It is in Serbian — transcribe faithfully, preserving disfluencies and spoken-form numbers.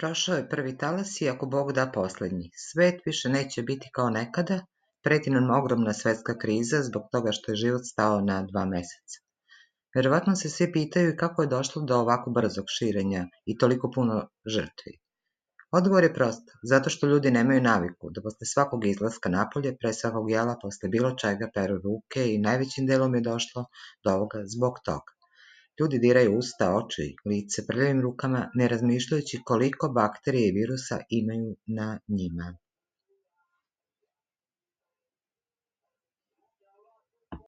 prošao je prvi talas i ako Bog da poslednji. Svet više neće biti kao nekada, preti nam ogromna svetska kriza zbog toga što je život stao na dva meseca. Verovatno se svi pitaju kako je došlo do ovako brzog širenja i toliko puno žrtvi. Odgovor je prost, zato što ljudi nemaju naviku da posle svakog izlaska napolje, pre svakog jela, posle bilo čega peru ruke i najvećim delom je došlo do ovoga zbog toga. Ljudi diraju usta, oči, lice prljavim rukama, ne razmišljajući koliko bakterije i virusa imaju na njima.